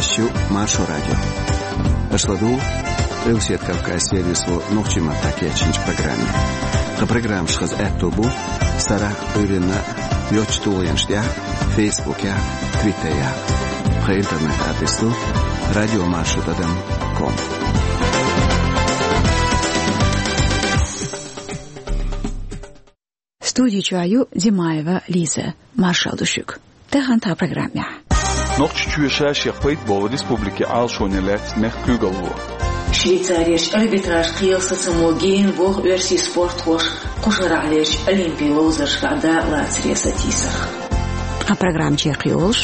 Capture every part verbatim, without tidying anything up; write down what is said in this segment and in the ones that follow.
Шу Маршо радио. Аша ладугӀу Къилбаседа Кавказан сервисо нохчийн маттахь кечйинчу программе. Тхан программаш хаза аьтто бу сарахь а, Ӏуьйранна а йоцачу тулгӀенаш тӀехь а, Фейсбукехь а, Твиттерехь а. Тхан интернет-адрес ду радио маршо тӀадам ком. Студи чохь ю Димаева Лиза. Маршалла ду шуьга. Тахана тхан программехь. Нохчийчоь ша-шех пайда болу республикин Ӏалашоне лаьцна мехкан куьйгалхо. Швейцарерчу арбитраж кхелан сацамо гена воху оьрсийн спортхоша кху шарахь лелачу олимпийн ловзаршкахь дакъа лацаре сатийсарх. Тхан программа чекхйолуш: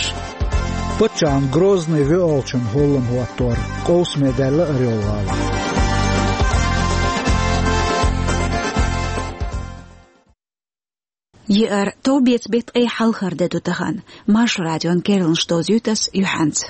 паччахьна Грозный воьалгӀачун хӀоллам хӀоттор, къовсаме даьлла Орёл-гӀала. Еара товбеца беттан ткъе хьалхара де ду тахана. Маршо радион керланаш довзуьйту ас юьхьанца.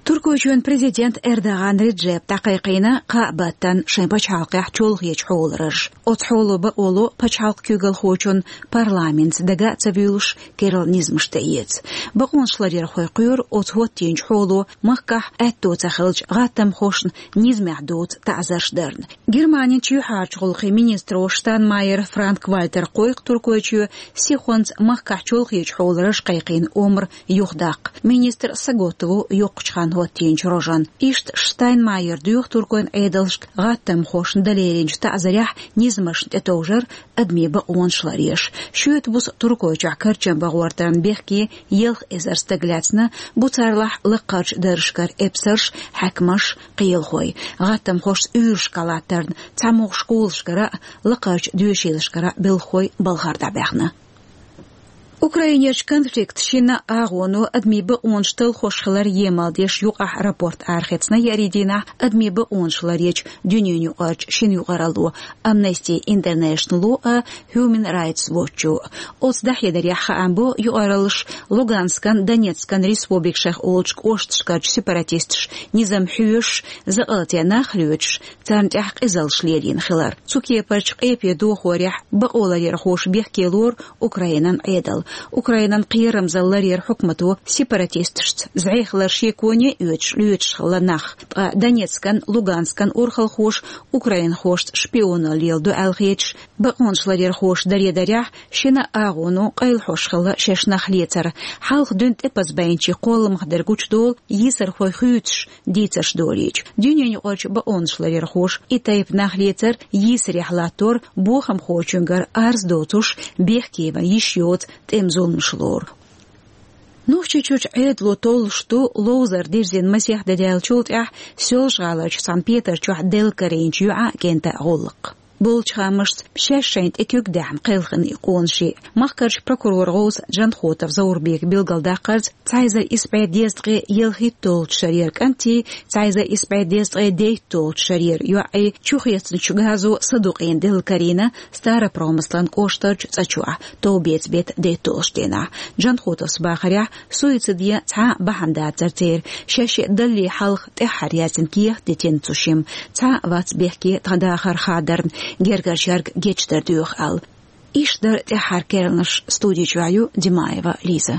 Туркойчоьнан президент Эрдоган Реджеп дӀакхайкхийна кхаа баттана шайн пачхьалкхехь чолхечу хьолараш. Оцу хьоло бакъо ло пачхьалкхан куьйгалхочун парламентца дага а ца вуьйлуш керла низамаш тӀеэца. Бакъонашларъярхой кхоьру оцу хӀоттийначу хьоло махкахь аьтто ца хилча гӀаттамхошна низамехь доцу таӀзарш дарна. Германин чоьхьарчу гӀуллакхийн министро Штайнмайер Франк-Вальтера кхойкху Туркойчоь сихонца махкахь чолхечу хьолараш кхайкхийна омра юхадаккха. Министр саготта ву йоккхачу ханна хӀоттийначу рожана. Иштта Штайнмайера доьху туркойн Ӏедалшка гӀаттамхошна дан леринчу таӀзарехь низамашна тӀетовжар адамийн бакъонаш ларъеш. Шоьтан буса Туркойчохь карчам бан гӀортарна бехке ялх эзар стаг лаьцна, бу царлахь лакхарчу даржашкара эпсарш, хьаькамаш, кхелахой. ГӀаттамхошца уьйрашкахь латтарна, цхьамогӀа школашкара а, лакхарчу доьшийлашкара а белхахой балхара дӀабаьхна. Украинерчу конфликта шина агӀоно адамийн бакъонаш талхош хилар емал деш юкъахь рапорт арахецна еарин дийнахь адамийн бакъонаш ларъечу дуьненаюкъарчу шина юкъаралло Amnesty International а, Human Rights Watch а. Оцу дӀахьедарехь хаам бо юкъараллаш Луганскан, Донецкан республикашех олучу кӀошташкарчу сепаратисташа низам хьоьшуш, закъалтен нах лоьцуш, царна тӀехь къизаллаш лелийна хилар. Цу кепарчу къепе дохорехь бакъоларъярхоша бехке лору Украинан Ӏедал. Украинан кхерамзалла ларъяран хьукмато сепаратисташца зӀе хилар шеконе а оьцуш лоьцуш хилла нах. Ткъа Донецкан, Луганскан урхалхоша украинхошца шпионалла леладо аьлла хеташ, бакъонаш ларъярхоша даре дарехь, шина агӀоно къайлахьош хилла шаьш нах лецар. Хьалха дуьйна тӀепаза байначийн кхолламах дерг гучудолу йийсархой хуьйцуш дийцарш долийча. Дуьненаюкъарчу бакъонаш ларъярхоша и тайпа нах лецар йийсарехь латтор бохамхочуьнгара арз доцуш, бехке ван йиш йоцу тӀеман зуламаш лору. Нохчийчуьрчу Ӏедало толлуш ду ловзар дирзина масех де даьллачул тӀаьхьа Соьлжа-ГӀаларчу цхьана петар чохь делла карийначу йоӀан а, кӀентан а гӀуллакх. Болчу хаамашца, шаьш шайна тӀе куьг даьхна кхелхина и къонаший. Махкарчу прокурор гӀовса Джанхотов Заурбека билгалдаккхарца, цхьа эзар исс бӀе дезткъе ялхитталгӀачу шарера кӀантий, цхьа эзар исс бӀе дезткъе дейтталгӀачу шарера йоӀий чухецначу газо садукъийна делла карийна Старопромыслан кӀоштарчу цӀа чохь, товбеца беттан дейтталгӀачу дийнахь. Джанхотовс бахарехь, суицид ян цхьа а бахьана дацара церан, шаьш шиъ далле хьалха тӀаьххьара яздина кехат дитина цу шимма. Цхьа а вац бехке тхан дахар хадарна, гергарчаьрга гечдар доьху аьлла. Иштта дара тӀаьххьара керланаш. Студи чохь ю Димаева Лиза.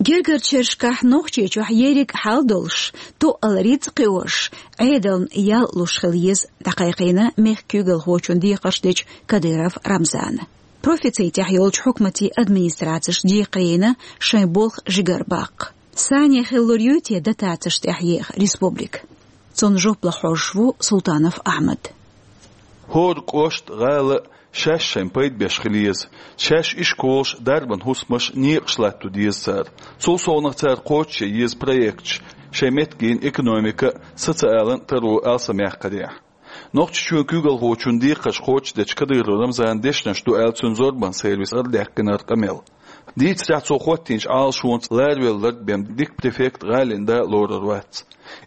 Гергарчу шерашкахь Нохчийчохь ерриг хьал долуш, тоъал рицкъ кхиош, Ӏедална ял луш хила еза дӀакхайкхийна мехкан куьйгалхочун декхарш дечу Кадыров Рамзана. Профицитехь йолчу хьукматийн администрацеша декхарийна шайн болх жигара баккха. Санна хиллур юй те дотацеш тӀехь еха республика? Цунна жоп лан хьожуш ву Султанов Ахьмад. ХӀора кӀошт, гӀала а шаьш шайн пайда беш хила еза. Шаьш ишколаш, дарбан хӀусамаш, некъаш латто деза цара. Цул совнаха цара кхочушъян еза проекташ, шайн меттигерчу экономикан а, социалан а таро алсамъяккхарехь. Нохчийчоьнан куьйгалхочун декхарш кхочушдечу Кадыров Рамзанан дешнаш ду аьлла цуьнан зорбанан сервиса арадаьккхинера къамел. Дийцарехь, цо хӀоттийначу Ӏалашонца ларвелларг бен дика префект, гӀалин да а лорур вац.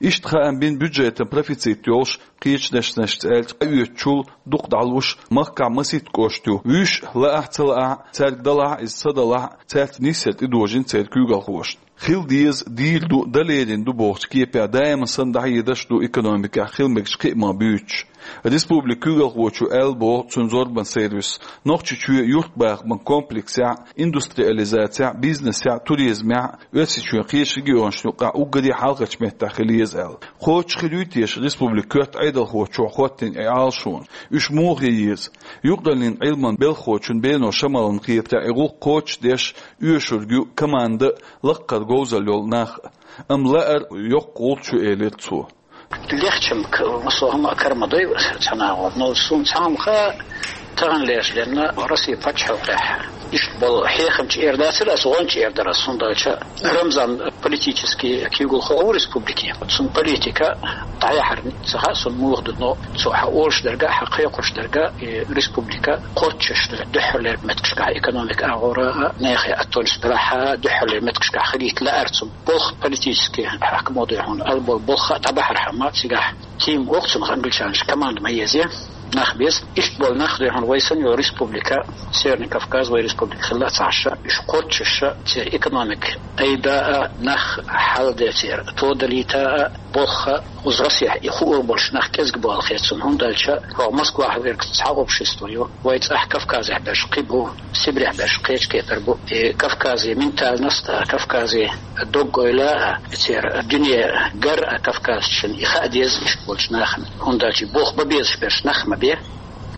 Иштта хаам бина бюджетан профицит йолуш, кхечу дешнашца аьлча, къаоьцучул дукха дӀалуш, махкахь масийтта кӀошт ю. Вуьш лаахь а, ца лаахь а, цаьрга далахь а, иза ца далахь а, цаьрца нийсса тӀедожийна церан куьйгалхошна. Хила деза, дийр ду, дан лерина ду бохучу кепехь даима санна дӀахьедаш а ду экономикехь хила мегаш кхиаман буьйцуш. Республикан куьйгалхочо аьлла боху цуьнан зорбанан сервисо, Нохчийчоь юьртбахаман комплексехь, индустриализацехь, бизнесехь, туризмехь, Оьрсийчоьнан кхечу регионашна юкъахь уггаре хьалхарчу меттехь хила еза аьлла. Кхочуш хир юй теша республикан коьрта Ӏедалхочо хӀоттийна и Ӏалашо? Уьш муха хила еза? Юкъараллин Ӏилманан белхахочун Бено Шамалан хетарехь, и гӀуллакх кхочушдеш оьшург ю команда а, лаккхара говзалла йолу нах а. Амма лаар йоккха гӀулч ю, элира цо. Легчам к-, массо а хӀума кара ма дой цхьана агӀор, но суна цхьа хӀума хаьа, тахана лерча денна Россин пачхьалкхехь иштта болу хьехамча эр дацара ас, гӀонча эр дара ас, хӀунда аьлча Рамзан политически куьйгалхо ву республикин. Цуьнан политика дӀаяхьар ца хаьа суна муха ду, но цо хьан олуш дерг а, хьан кхайкхош дерг а, и республика кхоччуш дуьххьарлера меттигашкахь экономика агӀора а, нехан аттонаш белахь а, дуьххьарлера меттигашкахь хилийта лаьара цо. Болх политически хьаькамо дуй хьуна, ала болу болх а дӀабахьархьама цигахь. Тима воккху цунах англичанаш, команда ма еза, нах беза. Иштта болу нах дуй хьуна вай санна йолу республика, Северный Кавказ, вай республика хилла а ца Ӏаш, уьш кхоччуш, церан экономика айда а, нах хьаладе церан тодалийта а, болх а, уза Россехь и хуур болуш нах кӀезиг болу хета цунна, хӀунда аьлча хӀокху Москвахь верг цхьа общество ю, вай цӀахь Кавказехь берш кхин бу. Сибрехь берш кхечу кепара бу. И Кавказе ментальность а, Кавказе дог-ойла а, церан дуьне гар а кавказчун и хаа деза иштта болчу нахана. ХӀунда аьлча болх бан безаш берш нах ма бе.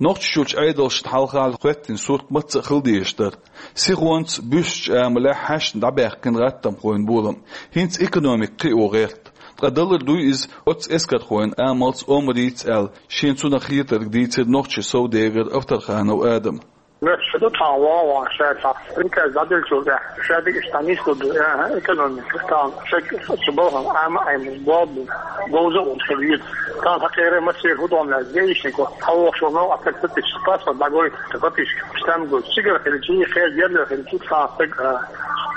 Нохчийчуьрчу Ӏедалшна хьалха хӀоьттина сурт маца а хила дезаш дара. Сихонца буьссучу амалехь хьаьшна дӀабаьккхина гӀаттамхойн болам. ХӀинца экономика кхио гӀерта. Ткъа далур дуй иза оццу эскархойн амалца, омрийца аьлла, шена цунах хетарг дийцира нохчийн совдегар Авторханов Адама. Моьттуш ду тхьа вон-вон шаьрца. Приказ дӀаделлачул тӀаьхьа шадерг иштта нислур ду, аьхьа, экономика. Тхьа шаг цу балхана Ӏама Ӏемаш болу бу. Говза а волуш хила веза. Тхьа хьан кхеран массеран хӀу догӀу лаьцна гейшнико. Хьан вохуш волу новкъа статистика, паспорт дӀагойту, статистика, стам гойту. Цигара хилчий, кхел герла хилчий, тхьа стаг, а,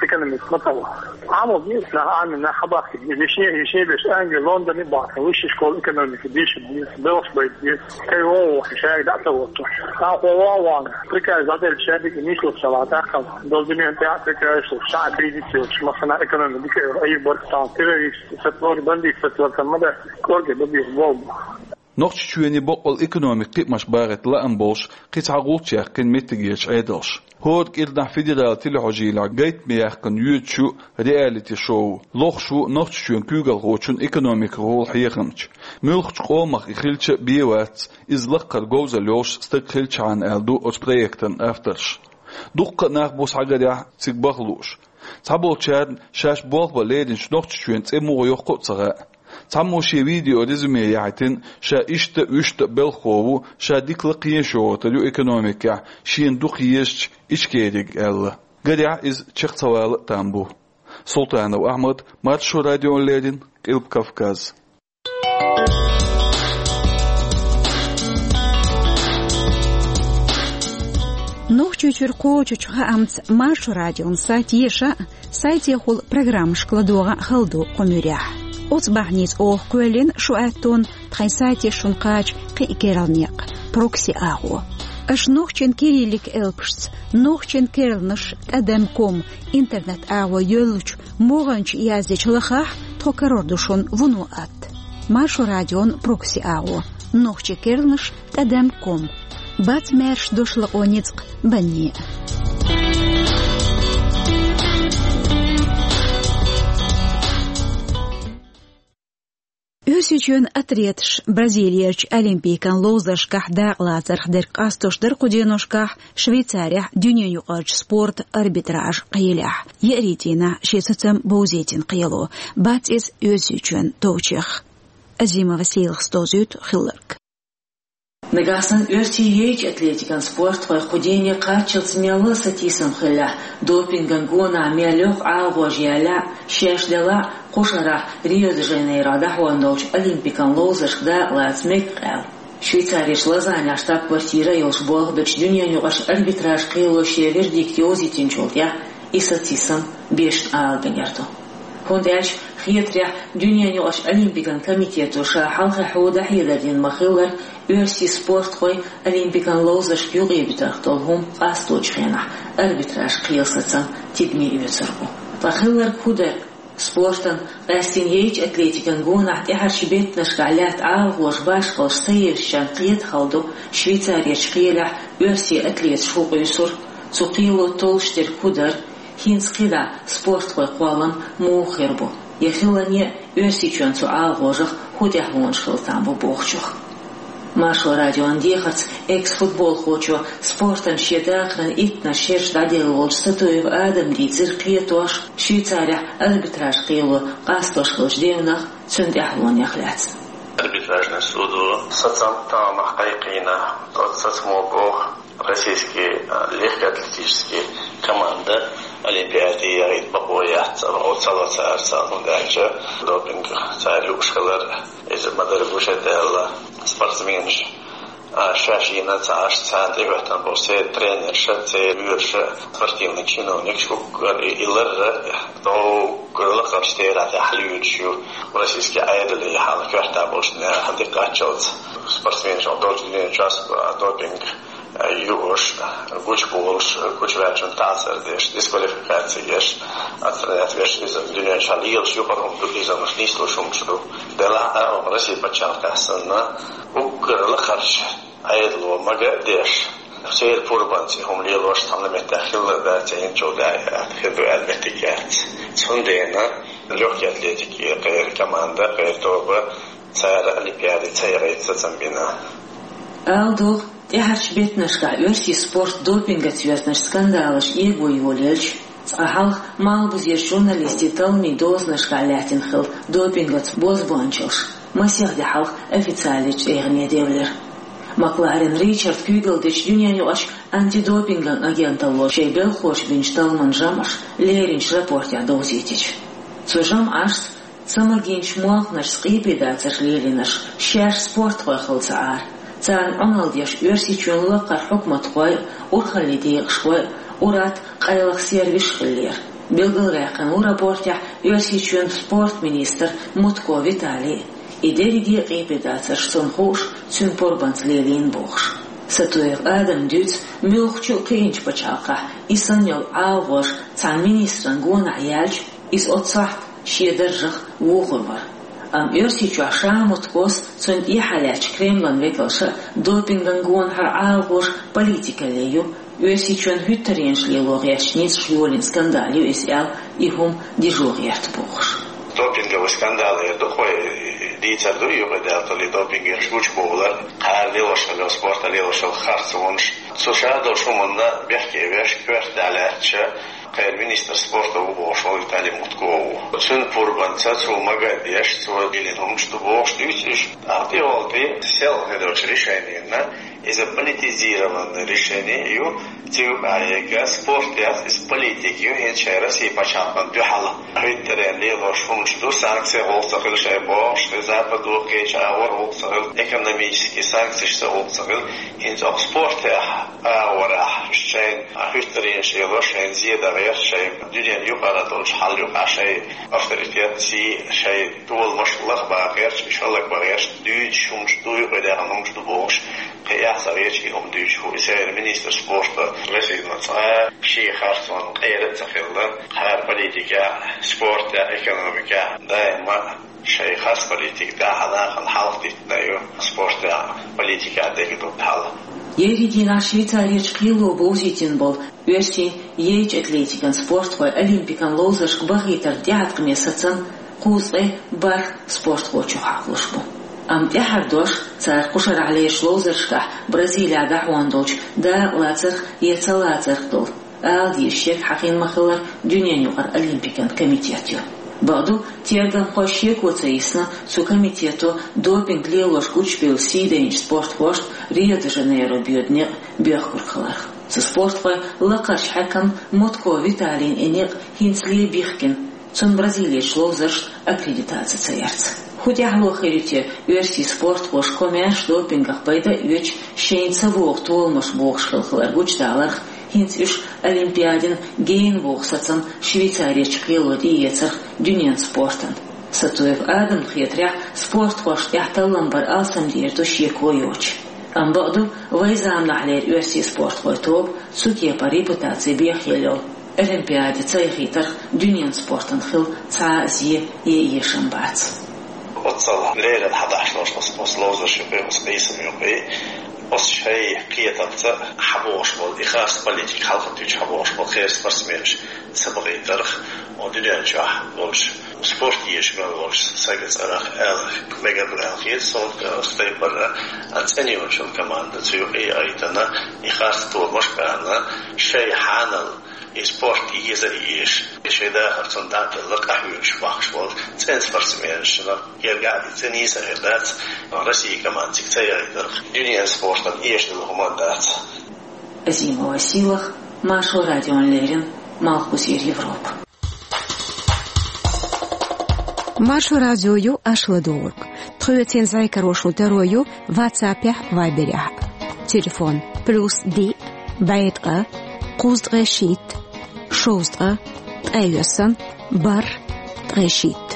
экономика ма ца вахара. Ӏамо беза нах, Ӏамин нах хьабахкийта. Вешне, вешне беш Англи, Лондоне бахкийна. Высшая школа экономики, дийшина беза, белхаш байта беза. Кхин вон вохуш, шаьрга дӀа а ца воттуш. Тхьа хьо вон-вон. Приказ дӀаделча шадерг нислур ца лаьа тӀаккха. Долу дуьнен тӀехь приказ шу, ша кризис йоцуш, массана экономика дика йолу, айр баркатан, террорист, сатвор, бандит, сатвор, там, ма дац, кӀорге бан беза болу. Нохчийчоьнан боккъал экономика кхиамаш багӀийта лаам болуш, кхин цхьа гӀулч яьккхина меттигерчу Ӏедалша. ХӀора кӀирнахь федералан телехьожийлахь гайтаме яьккхина йоьдуш ю реалити-шоу. Лохуш ву Нохчийчоьнан куьйгалхочун экономикахула хьехамча. Муьлххачу къомах и хилча а бен вац, иза лаккхара говзалла йолуш стаг хилчхьана, аьлла ду оцу проектан авторша. Дуккха а нах бу схьагарехь цига баха лууш. Цхьаболчарна шаьш болх бан леринчу Нохчийчоьнан цӀе муха йоккху а ца хаьа. Цхьаммо шен видео резюме яхьийтина, ша иштта а, вуьшта а белхахо ву, ша дика лакха езаш йогӀуьйтур ю экономикехь, шена дукха езачу Ичкериг аьлла. Гарехь, иза чекх ца вала а там бу. Султанов Ахьмад, Маршо радиона леррина, Къилба Кавказ. Нохчийчуьра кхочучу хаамца Маршо радион сайт еша а, сайтехула программашка ладогӀа а хала ду кху муьрехь. Оцу бахьаница оха кхоьллина шу аьттон тхайн сайте шуна кхача кхин а керла некъ, прокси агӀо. Аша нохчийн кириллик элпашца, нохчийн керланаш тӀадам ком интернет агӀо йоьллучу могӀанчу яздечу лахахь, тхо карор ду шуна вуно атта. Маршо радион прокси агӀо, нохчийн керланаш тӀадам ком. Бац маьрша дошлакъо ницкъ банне. Оьрсийчоьнан атлеташа Бразилерчу Олимпикан ловзаршкахь дакъалацарх дерг къастош дара кху деношкахь Швейцарехь дуьненаюкъарчу спортан арбитраж кхелехь. Еарин дийнахь шен сацам бовзийтина кхело. Бац иза Оьрсийчоьнан товчех. Азимова Сейлхас довзуьйту хилларг. Нагахь санна оьрсийн йайчу атлетикан спортхой кху дене кхаччалц мелла а сатийсам хиллехь, допинган гонахь мел йоккха Ӏалагӏожа яьллехь а, шаьш делахь а, кху шарахь Рио-де-Жанейрохь дӀахьон долчу Олимпикан ловзаршка дакъалаца мега аьлла, Швейцарерчу Лозаннехь штаб-квартира а йолуш болх бечу дуьненаюкъарчу арбитраж кхело шен вердикт йовзийтинчул тӀаьхьа и сатийсам бешан ала гинарг ду. ХӀунда аьлча хетарехь, дуьненаюкъарчу Олимпикан комитето ша хьалхе хьо дӀахьедар дина ма-хиллара, оьрсийн спортхой Олимпикан ловзаршка юкъебитарх долу хӀума къасточу хенахь арбитраж кхелан сацам тидаме оьцур бу. Ткъа хилларг хӀун дара? Спортан, къаьстина яйчу атлетикан гонахь тӀаьхьарчу беттанашкахь лаьтта Ӏалахоша башхаллаш ца евзачарна кхета хала ду, Швейцарерчу кхелехь оьрсийн атлеташ хӀун къуьйсура, цу кхело толлуш дерг хӀун дара, хӀинца кхидӀа спортхойн кхоллам муха хир бу, я хиларна а Оьрсийчоьнан цу Ӏалахошах хӀун тӀаьхьалонаш хила там бу бохучух. Маршо радион дехарца экс-футболхочо, спортана шен дахаран иттаннаш шераш дӀаделла волчу Сатуев Адама дийцира кхетош, Швейцарехь арбитраж кхело къастош хиллачу девнах, цуьнан тӀаьхьалонех лаьцна. Арбитражный судо сацам тамах кхайкхийна, оцу сацамо боху, российский, а, легкоатлетический команда Олимпиаде яхийта бакъо яц, оцу ца ло цара царна, хӀунда аьлча допинг цара юуш хилар, иза ма-дарра гуш а даьлла спортсменаш, а, шаьш йина ца Ӏаш, царна тӀехӀоьттина болу церан тренерша, церан вуьйрша, спортивный чиновникаш уггар и, и ларра, уггар лакхарчу терахь тӀехь луьйчу ю, российский Ӏедале хьала коьрта болчу нехан диккхаччалц спортсменаш долчу дуьнен чу а допинг юуш, гучуболуш, гучуваьллачунна таӀзар деш, дисквалификаци еш, отстранять веш, иза дуьнен чохь лелаш юкъара хӀума ду, иза нислуш хӀумаш ду. Делахь а, Россия пачхьалкхехь санна, уггар лакхарчу Ӏедало мага а деш, церан пурбанца и хӀума лелош цхьана меттехь хилла дац, я хӀинцул даь хир ду аьлла меттиг яц. Цундела легкий атлетикин кхеран команда, кхеран тоба цара Олимпиаде ца яхийта сацам бина. Ала догӀу, тӀаьхьарчу беттанашкахь оьрсийн спорт допингаца йоьзначу скандалаша эго йолаелча, цкъа хьалха малхбузерчу журналистийн талламийн дозанашкахь лаьттина хилла допингаца бозбуунчаллаш масех де хьалха официалечу тӀегӀане девлира. Макларен Ричард куьйгалла дечу дуьненаюкъарчу антидопинган агенталло шайн белхахоша бинчу талламан жамӀаш леринчу рапортехь довзийтича. Цу жамӀашца ца магийначу молханашца къепедацарш лелийнарш шаьш спортхой хилла ца Ӏара, царна Ӏуналла деш Оьрсийчоьнан лакхара хьукматхой а, урхаллин декъашхой а, урат, къайлаха сервисаш хиллера. Билгалваьккхина ву рапортехь Оьрсийчоьнан спорт министр Мутко Виталий. И дерриге а къепедацарш цунна хууш, цуьнан пурбанца лелийна бохуш. Сатуев Адама дуьйцу муьлххачу а кхиъначу пачхьалкхехь и санна йолу Ӏалахоша цхьана министран гонахь яьлча, иза оццу сохьта шен даржах вухур вара. Амма Оьрсийчохь ша Муткос, цунна тӀехьа лаьттачу Кремлан векалша а допинган гонахьара Ӏалахоша политикалле ю, Оьрсийчоьнан хӀуьттаренаш лело гӀертачу ницкъаша йолийна скандал ю иза аьлла, и хӀума дижо гӀерта бохуш. Допинговый скандал эр ду, кхо дийцар ду, юкъадаьлла допингерш гучубовлар, кхара лелош йолу, спорта лелош йолу харцонаш. Цу ша долчу хӀуманна бехке веш, коьрта лаьттача, кхеран министр спорта ву бохуш волу Виталий Мутко ву. Цуьнан пурбанца цо мага а деш, цо диллина хӀуманаш ду бохуш дуьйцу уьш. Амма тӀехула сел хир долчу решенина, иза политизированное решение ю, цу юкъахь яга спорт яц, иза политика ю, хӀинца шайн Россия пачхьалкхана дуьхьал хӀуьттаренна лелош хӀуманаш ду, санкци гӀуллакх ца хила шайн бохуш, шайн западо кхечу агӀор гӀуллакх ца хила, экономический санкцеш ца гӀуллакх ца хила, хӀинца оха спортехь агӀорахь шайн хӀуьттаренаш лело, шайн зен дан гӀерта, шайн дуьненан юкъара долчу хьал юкъахь шайн авторитет, сий, шайн толамаш лаха бан гӀерта, шаллаг бан гӀерта, дуьйцуш хӀуманаш ду, юкъадаьхна хӀуманаш ду бохуш, кхин эхь ца гӀерташ и хӀума дуьйцуш ву. И церан министр спорта Россина цкъа шен харцонна къера а ца хилла, кхара политикехь, спортехь, экономикехь даима шайн харц политика тӀехь нахана хьалха диттина ю, спортехь, политикехь дерг ду хьал. Еарин дийнахь Швейцарерчу кхело бовзийтина болу оьрсийн яйчу атлетикан спортхой олимпикан ловзаршка бахийтаран тӀеӀаткъаме сацам кхузткъе бархӀ спортхочух хьакхалуш бу. Амма тӀаьхьара дош цара кху шарахь лерачу ловзаршкахь Бразилехь дӀахьон долчу дакъалацарх я ца лацарх долу ала дезаш ерг хьахийна ма-хиллара дуьненаюкъара олимпикан комитет ю. Бакъду, тергамхой шеко ца йисна цу комитето допинг лелош гучубевлла сий дайначу спортхошна Рио-де-Жанейро боьду некъ боьхкург хиларх. Цу спортхойн лакхарчу хьаькамна Мутко Виталийна и некъ хӀинцале бихкина, цунна Бразилерчу ловзаршна аккредитаци ца ярца. ХӀун тӀаьхьало хир ю те оьрсийн спортхоша комаьрша допингах пайда а оьцуш, шайна ца богӀу толамаш бохуш хилла хилар гучудаларх, ХӀинца уьш Олимпиадин генна вогӀу сацам Швейцаречу кхело тӀеэцарх дуьненан спортан. Сатуев Адамна хетарехь, спортхошна тӀехь таллам бар алсамдер ду шеко йоцуш. Амма бакъду, вайн заманахьлера оьрсийн спортхойн тоба цу кепара репутаци бехъелла йолу Олимпиаде ца яхийтарх дуьненан спортан хила цхьа а зе я эшам бац. Оццул леррина хьадахьаш долуш оцу, оцу ловзарш юкъе, оцу къийсам юкъе, оцу шайн кхетамца хьабохуш болу и харц политика хьалха туьйцуш хьабохуш болу кхечу спортсменаш ца бакъийтарх, оцу дуьнен чохь болуш, спорт езаш мел волуш сайга цӀарах аьлла мегар ду аьлла хета суна, оцу тайпара цӀена йолчу команда цу юкъе а айтана, и харц тобанаш а баьхна, шайн хьанал и спорт еза а езаш, и шайн дахар цунна дӀа а делла, къахьоьгуш бахкаш болу цӀена спортсменашна. Гергахь а ца нийса хир дац, Россия команда цига ца яйтарх, дуьненан спортан эшна хӀума дац. Азимова Сийлаха, Маршо радиона леррина, Малхбузера Европа. Маршо радио ю, аша ладугӀург. Тхоьцин зӀе карош таро ю WhatsApp-ехь, Viber-ехь. Телефон: плюс диъ, бӀе ткъа, кхузткъе шийтта, шовзткъа, ткъе йоьсна, бархӀ, ткъе шийтта.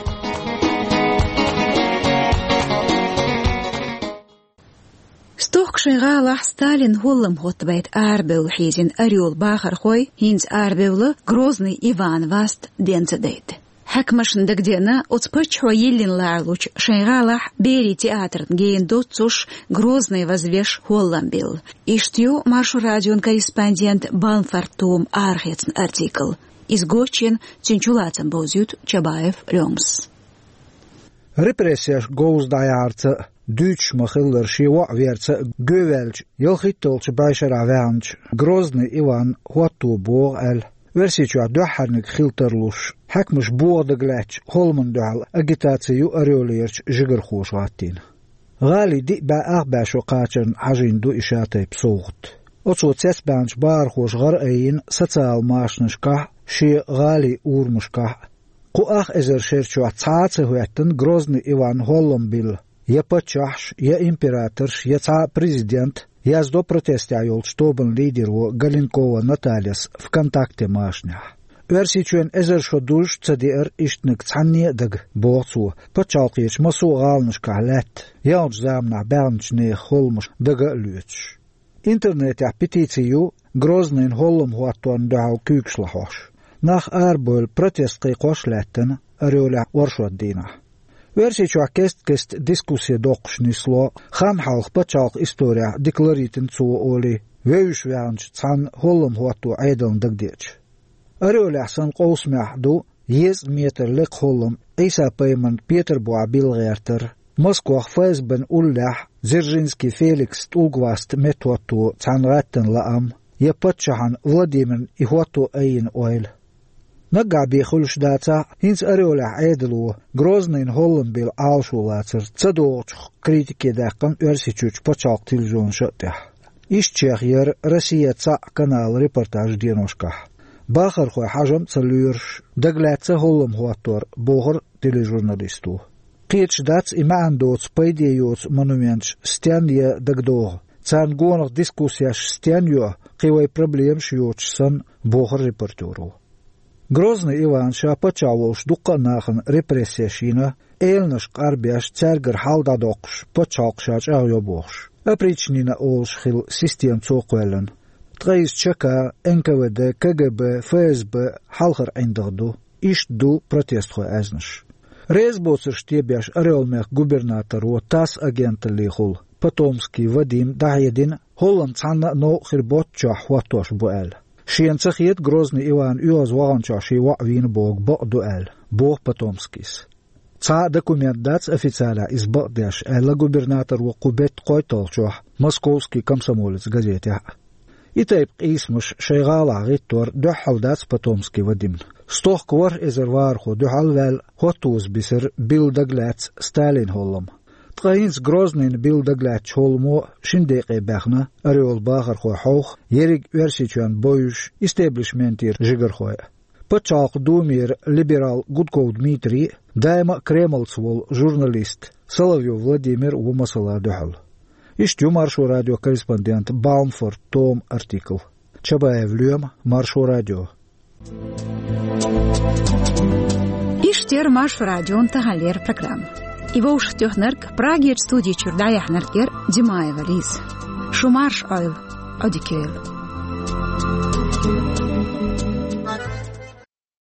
Стохка шайн гӀалахь Сталин хӀоллам хӀоттабайта арабевлла хьийзина Орел бахархой хӀинца арабевлла Грозный Иван васт ден ца дайта. Хьаькамашна дагадеана, оцу паччахьо йиллина лоруш шайн гӀалахь берийн театрна гена доццуш Грозный вазвеш хӀоллам билла. Иштта ю Маршо радион корреспондент Балмфорд Тома арахецна артикл. Иза гочйина, цуьнан чулацам бовзуьйту Чабаев Лёмас. Репрессеш говза дӀаяхьарца а, дуьйцуш ма-хиллара шен воӀ верца а гӀовттаваьллачу ялхитталгӀачу бӀешарахь ваьхначу Грозный Иван хӀотто богӀу аьлла, Оьрсийчохь дуьххьарниг хила тарлуш, хьаькамаш бохо дагалаьттачу хӀолламна дуьхьал агитаци ю Орелерчу жигархоша гӀаттийна. ГӀалин диъ бӀе ах бӀе шо кхачарна хьажийна ду и шатайпа совгӀат. Оцо цецбаьхначу бахархоша гӀар айина социал машанашкахь а, шен гӀалин урамашкахь а. Кху ах эзар шер чохь цхьа а ца хӀоьттина Грозный Иван хӀоллам билла я паччахьаш, я императорш, я цхьа а президент, яздо протестехь йолчу тобанан лидеро Галенкова Натальяс ВКонтакте машанехь. Оьрсийчоьнан эзар шо дузуш а ца деара ишттаниг цхьанне а дага, боху цо, пачхьалкхерчу массо а гӀаланашкахь лаьтта, яьллачу заманахь баьхначу нехан хӀолламаш дага а лоьцуш. Интернетехь петици ю Грознайна хӀоллам хӀотторна дуьхьал куьйгаш лахьош. Нах арабевлла протест кхайкхош а лаьттина Орелехь оршот дийнахь. Оьрсийчохь кест-кеста дискусси доккхуш нисло, хан хьалха пачхьалкхан исторехь декларитина цо олий, вевзаш ваьхначу цхьана хӀоллам хӀотто Ӏедална дагадеача. Орелехь санна къовсамехь ду езткъа метр лекха хӀоллам Ӏийса-пайхамарна Петарбухахь билла гӀертар, Москвахь ФСБ-н уллехь Дзержинский Феликс тӀулгаваста меттахӀотто цхьаьна гӀаьттина лаам я паччахьна Владимирна и хӀотто айина ойла. Наггахь бен хуьлуш дацахь а, хӀинца Орелехь Ӏедало Грознайна хӀоллам билла Ӏалашо лацар ца догӀучух критике даьккхина Оьрсийчуьрчу пачхьалкхан телевизионаша а тӀехь. Иштачех яра «Россия» цхьаъ каналан репортажан деношкахь. Бахархой хьажам а ца лоьруш, дагалаьцна хӀоллам хӀоттор, бохура тележурналисто. Кхеташ дац и маьӀна доцу, пайде йоцу монументаш стенна я дагадогӀу, царна гонах дискуссеш стенна йо, кхин вайн проблемаш йоцуш санна, бохура репортеро. Грозный Иван ша паччахь волуш дуккха а нахана репрессеш йина, эланаш къарбеш, цаьргара хьал дӀадоккхуш, пачхьалкх ша чӀагӀйо бохуш. Опричнина олуш хилла система цо кхоьллина. Ткъа иза ЧК, НКВД, КГБ, ФСБ хьалхара ӀиндагӀ ду. Иштта ду протестхойн аьзнаш. Реза боцурш тебеш Орел-мехкан губернаторо ТАСС агенталлехула Потомский Вадима дӀахьедина, хӀоллам цхьанна а новкъа хир боццучохь хӀоттош бу аьлла. Шена ца хета Грозный Иван оьгӀаз ваханчохь шен воӀ вийна бохург бакъ ду аьлла, боху Потомскийс. Цхьа а документ дац официалехь иза бакъдеш, аьлла губернаторо кху беттан кхойтталгӀачохь «Московский комсомолец» газетехь. И тайпа къийсамаш шайн гӀалахь гӀиттор дуьххьал дац Потомский Вадимна. Стохка ворхӀ эзар вахархо дуьхьал а ваьлла, хӀоттоза бисира билла дагалаьцна Сталинан хӀоллам. Ткъа хӀинца Грознайна билла дагалаьцначу хӀолламо шина декъе баьхна Орелан бахархой хьовха, ерриг Оьрсийчоьнна бовзуш истеблишментера жигархой а. Пачхьалкхан Думера либерал Гудков Дмитрий а, даима а Кремлца волу журналист Соловьёв Владимир а ву масала дуьхьал. Иштта ю Маршо радион корреспондентан Балмфорд Томан артикл. Чабаев Лоьма, Маршо радио. Иштта яра Маршо радион таханлера программа. И вовшахтоьхнарг, Прагерчу студи чуьра дӀаяьхьнарг яра Димаева Лиза. Шу марша Ӏойла, Ӏодика йойла.